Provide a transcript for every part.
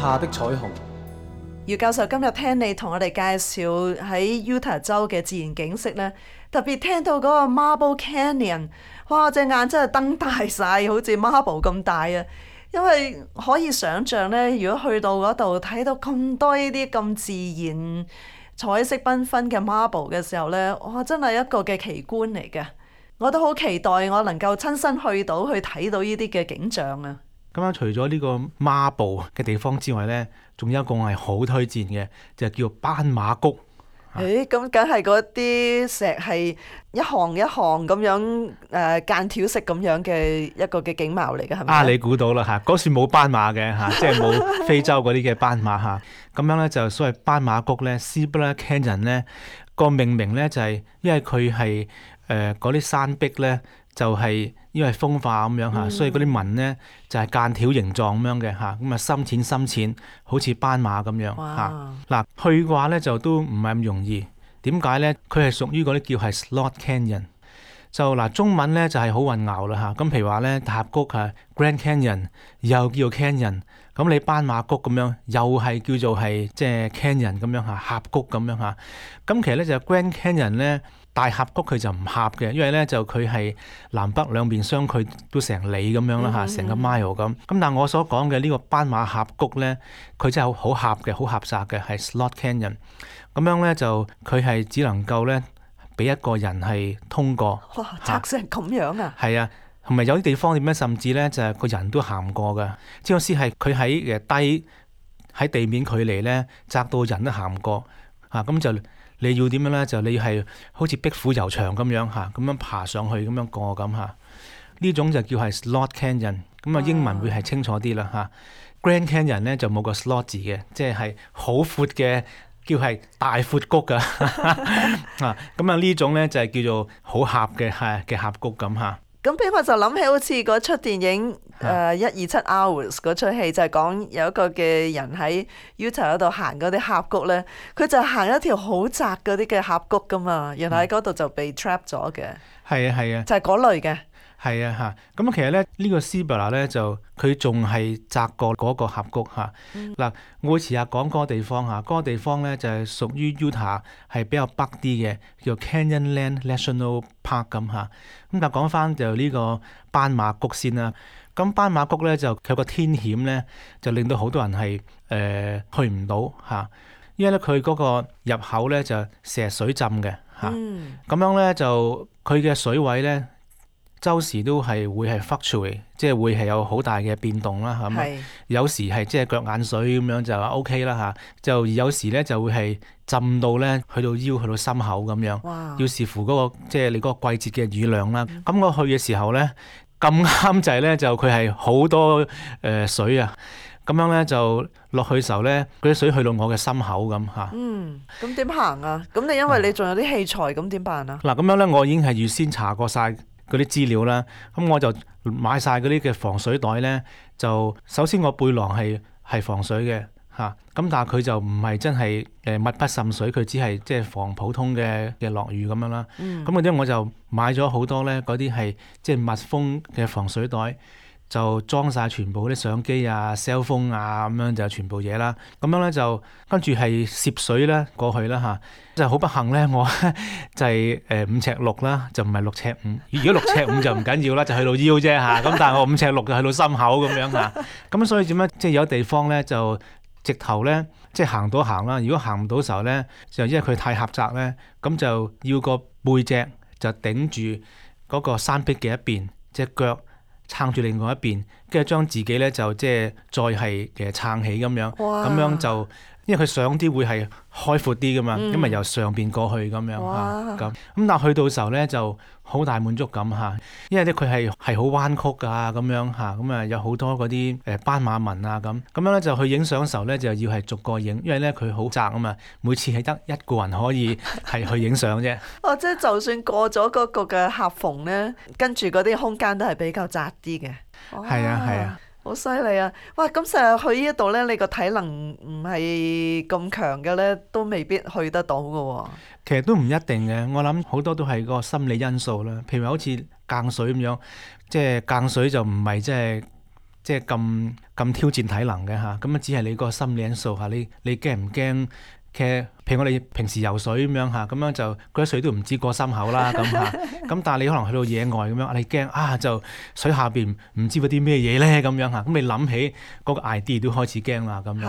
下的彩虹。姚教授今日聽你同我哋介紹喺 Utah 州嘅自然景色咧，特別聽到嗰個 Marble Canyon， 哇！我隻眼真係瞪大晒，好似 Marble 咁大啊！因為可以想像咧，如果去到嗰度睇到咁多呢啲咁自然彩色繽紛嘅 Marble 嘅時候咧，哇！真係一個嘅奇觀嚟嘅。我都好期待我能夠親身去睇到呢啲嘅景象啊！咁樣除咗呢個 Marble 嘅地方之外呢，仲有一個我係好推薦嘅，就叫斑馬谷。咁梗係嗰啲石係一行一行咁樣間條式咁樣嘅一個嘅景貌嚟嘅，係咪？你估到啦嚇，嗰處冇斑馬嘅嚇，即係冇非洲嗰啲嘅斑馬嚇。咁樣呢，就所謂斑馬谷呢 Cibolo Canyon 呢個命名呢，就係因為佢係嗰啲山壁呢。就係因為風化咁樣嚇，所以嗰啲紋呢就係間條形狀咁樣嘅嚇，咁啊深淺，好似斑馬咁樣嚇。嗱，去嘅話呢就都唔係咁容易。點解呢？佢係屬於嗰啲叫係 Slot Canyon。就嗱，中文呢就係好混淆啦嚇。咁譬如話呢，大峽谷係 Grand Canyon， 又叫做 Canyon。咁你斑馬谷咁樣，又係叫做係即係 Canyon 咁樣嚇，峽谷咁樣嚇。咁其實呢就 Grand Canyon 呢。大峽谷佢就唔狹嘅，因為咧就佢係南北兩邊相距都成里咁樣啦嚇，成個 mile 咁。咁但係我所講嘅呢個斑馬峽谷咧，佢真係好狹嘅，好狹窄嘅，係 Slot Canyon。咁樣咧就佢係只能夠咧俾一個人係通過。哇！窄成咁樣啊！係啊，同埋有啲地方點樣，甚至咧就係個人都行唔過嘅。即係係佢喺低喺地面距離咧，窄到人都行唔過嚇，咁就。你要點樣咧？就你係好似壁虎遊牆咁樣嚇，咁樣爬上去咁樣過咁嚇。呢種就叫係 Slot Canyon， 咁啊英文會係清楚啲啦嚇。Grand Canyon 咧就冇個 slot 字嘅，即係好闊嘅，叫係大闊谷噶啊。咁啊呢種咧就係叫做好狹嘅嘅峽谷咁嚇。咁俾我就諗起好似嗰出電影127 Hours 嗰出戲，就係講有一個嘅人喺 Utah 嗰度行嗰啲峽谷咧，佢就行一條好窄嗰啲嘅峽谷噶嘛，原來喺嗰度就被 trap 咗嘅。係啊，就係嗰類嘅。係啊嚇，咁其實咧呢個 Cibolo 咧就佢仲係窄過嗰個峽谷嚇。嗱，我會遲下講嗰個地方嚇，嗰個地方咧就係屬於 Utah 係比較北啲嘅，叫 Canyonland National Park 咁嚇。咁但係講翻就呢個斑馬谷先啦。咁斑馬谷咧就佢有個天險咧，就令到好多人係去唔到嚇，因為咧佢嗰個入口咧就成日水浸嘅嚇。咁樣咧就佢嘅水位咧。周時都係會係 fluctuate， 即係會係有好大嘅變動啦，係咪？有時係即係腳眼水咁樣就 OK 啦嚇，就有時咧就會係浸到咧去到腰去到心口咁樣，要視乎嗰個即係你嗰個季節嘅雨量啦。咁我去嘅時候咧咁啱就係咧就佢係好多水啊，咁樣咧就落去嘅時候咧嗰啲水去到我嘅心口咁嚇。咁點行啊？咁你因為你仲有啲器材，咁點辦啊？嗱咁樣咧，我已經係預先查過晒嗰啲資料啦，咁我就買晒嗰啲嘅防水袋呢。就首先我背囊係防水嘅嚇，咁但係佢就唔係真係密不滲水，佢只係即係防普通嘅落雨咁樣啦。咁嗰啲我就買咗好多呢嗰啲係即係密封嘅防水袋，就裝晒全部啲相機啊、cell phone 啊咁樣就全部嘢啦。咁樣呢，就跟住係攝水咧過去啦嚇。就好不幸咧，我就係5尺6啦，就唔係6尺5。如果6尺5就唔緊要啦，就去到腰啫嚇。咁但係我5尺6就去到心口咁樣嚇。咁所以點樣？即係有地方咧就直頭咧，即係行到行啦。如果行唔到時候咧，就因為佢太狹窄咧，咁就要個背脊就頂住嗰個山壁嘅一邊，隻腳撐住另外一邊，跟住將自己咧就即係再係撐起咁樣，咁樣就。因為佢上啲會係開闊啲噶嘛，因為由上邊過去咁樣嚇，咁但係去到時候咧就好大滿足感嚇，因為咧佢係好彎曲啊咁樣嚇，咁啊有好多嗰啲斑馬紋啊咁樣咧就去影相嘅時候咧就要係逐個影，因為咧佢好窄啊嘛，每次係得一個人可以係去影相啫。即係就算過咗嗰個嘅夾縫咧，跟住嗰啲空間都係比較窄啲嘅。係啊。好犀利啊！哇，咁成日去呢度咧，你個體能唔係咁強嘅咧，都未必去得到嘅喎。其實都唔一定嘅，我諗好多都係個心理因素啦。譬如好似間水咁樣，即係間水就唔係即係即係咁挑戰體能嘅嚇，咁啊只係你個心理因素嚇，你驚唔驚？譬如我哋平時游水咁樣嚇，咁樣就嗰啲水都唔知過心口啦咁嚇，咁但係你可能去到野外咁樣，你驚就水下邊唔知嗰啲咩嘢咧咁樣嚇，咁你諗起嗰個 idea 都開始驚啦咁樣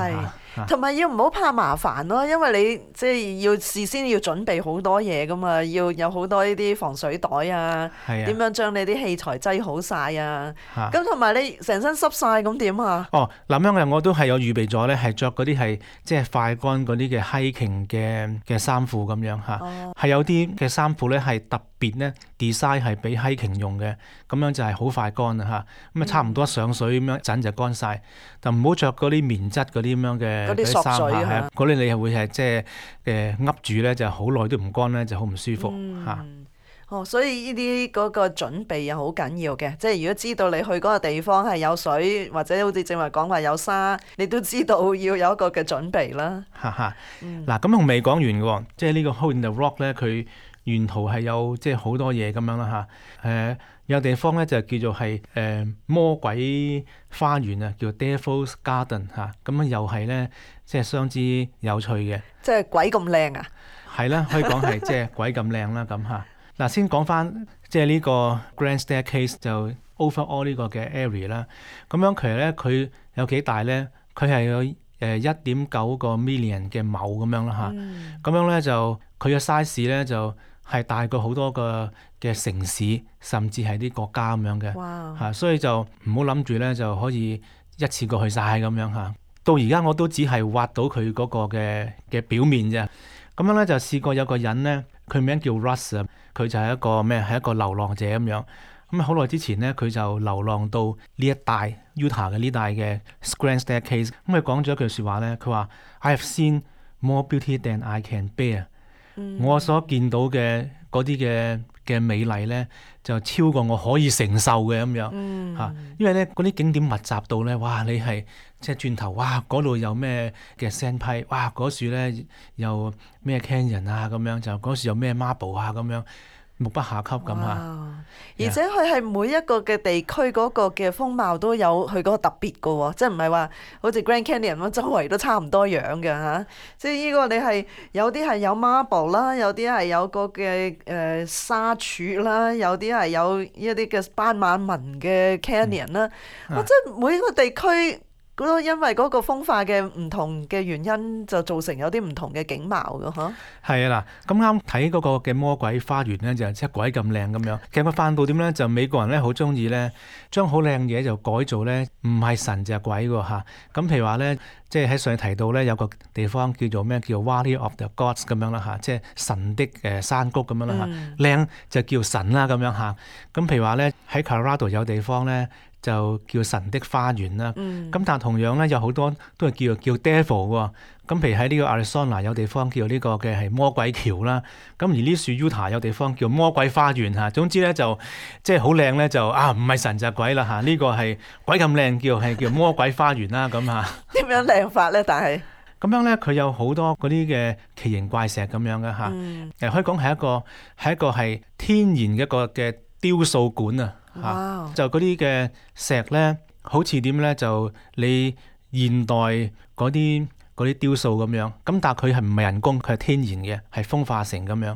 嚇。同埋要唔好怕麻煩咯，因為你即係要事先要準備好多嘢噶嘛，要有好多呢啲防水袋啊，點樣將你啲器材擠好晒啊，咁同埋你成身濕晒咁點啊？哦，咁樣嘅我都係有預備咗咧，係着嗰啲係即係快乾嗰啲嘅 hiking 嘅衫褲咁樣嚇，係有啲嘅衫褲咧係特別咧 design 係俾 hiking 用嘅，咁樣就係好快乾啊嚇，咁啊差唔多上水咁樣一陣就乾晒，就唔好着嗰啲棉質嗰啲咁樣嘅。嗰啲索水啊，嗰啲你係會係即係噏住咧，就好耐都唔乾咧，就好唔舒服嚇。所以呢啲嗰個準備又好緊要嘅，即係如果知道你去嗰個地方係有水，或者好似正話講話有沙，你都知道要有一個嘅準備啦。嗱，咁仲未講完嘅喎，即係呢個 Hole in the Rock 咧，佢沿途係有即係好多嘢咁樣啦嚇。有地方咧就叫做係魔鬼花園啊，叫 Devil's Garden 嚇，咁又係咧即係相之有趣嘅。即係鬼咁靚啊！係啦，可以講係即係鬼咁靚啦咁嚇。嗱，先講翻即係呢個 Grand Staircase 就 overall 呢個嘅 area 啦。咁樣其實咧佢有幾大咧？佢係有1.9個 million 嘅畝咁樣啦嚇。咁樣咧就佢嘅 size 咧就係大過好多個嘅城市，甚至係啲國家咁樣嘅嚇，所以就唔好諗住咧就可以一次過去晒咁樣嚇。到而家我都只係挖到佢嗰個嘅表面啫。咁樣咧就試過有個人咧，佢名叫 Russ 啊，佢就係一個咩？係一個流浪者咁樣。咁好耐之前咧，佢就流浪到呢一帶 Utah 嘅呢帶嘅 Grand Staircase。咁佢講咗一句説話咧，佢話 I have seen more beauty than I can bear。我所見到嘅嗰啲嘅美麗咧，就超過我可以承受嘅咁樣嚇。因為咧嗰啲景點密集到咧，哇！你係即係轉頭，哇！嗰度有咩嘅 sandpile，哇！嗰樹咧又咩 canyon 啊咁樣，就嗰樹有咩 marble 啊咁樣。目不暇給咁嚇，而且佢係每一個嘅地區嗰個嘅風貌都有佢嗰個特別嘅喎，即係唔係話好似 Grand Canyon 咁周圍都差唔多樣嘅嚇。即係呢個你係有啲係有 marble 啦，有啲係有個嘅沙柱啦，有啲係有一啲嘅斑馬紋嘅 canyon 啦。即係每一個地區。因為嗰個風化嘅唔同嘅原因，就造成有啲唔同嘅景貌嘅嗬。係啊嗱，咁啱睇嗰個嘅魔鬼花園咧，就即係鬼咁靚咁樣。其實個範到點咧，就美國人咧好中意咧，將好靚嘢就改造咧，唔係神就係鬼喎嚇。咁譬如話咧，即係喺上提到咧，有個地方叫做咩？叫 Valley of the Gods 咁樣啦嚇，即係神的山谷咁樣啦嚇。靚就叫神啦咁樣嚇。咁譬如話咧，喺 Colorado 有地方咧。就叫神的花園啦，咁但係同樣咧有好多都係叫 devil 喎，咁譬如喺呢個 Arizona 有地方叫呢個嘅係魔鬼橋啦，咁而呢樹 Utah 有地方叫魔鬼花園嚇，總之咧就即係好靚咧就唔係神就係鬼啦嚇，呢個係鬼咁靚叫魔鬼花園啦咁嚇。點樣靚法咧？但係咁樣咧佢有好多嗰啲嘅奇形怪石咁樣嘅嚇，可以講係一個係天然嘅一個嘅雕塑館啊。就嗰啲嘅石咧，好似點咧？就你現代嗰啲雕塑咁樣，咁但係佢係唔係人工，佢係天然嘅，係風化成咁樣。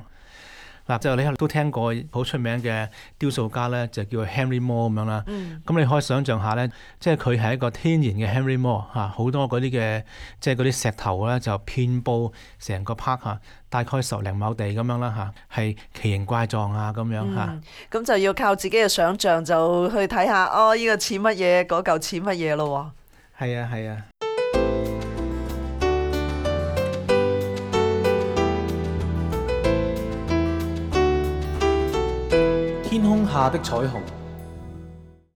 嗱，就你都聽過好出名嘅雕塑家咧，就叫 Henry Moore 咁樣啦。咁你可以想象下咧，即係佢係一個天然嘅 Henry Moore 嚇，好多嗰啲嘅即係嗰啲石頭咧就遍佈成個 park 嚇，大概10零畝地咁樣啦嚇，係奇形怪狀啊咁樣嚇。咁就要靠自己嘅想像就去睇下，呢個似乜嘢，嗰嚿似乜嘢咯喎。係啊係啊。天空下的彩虹。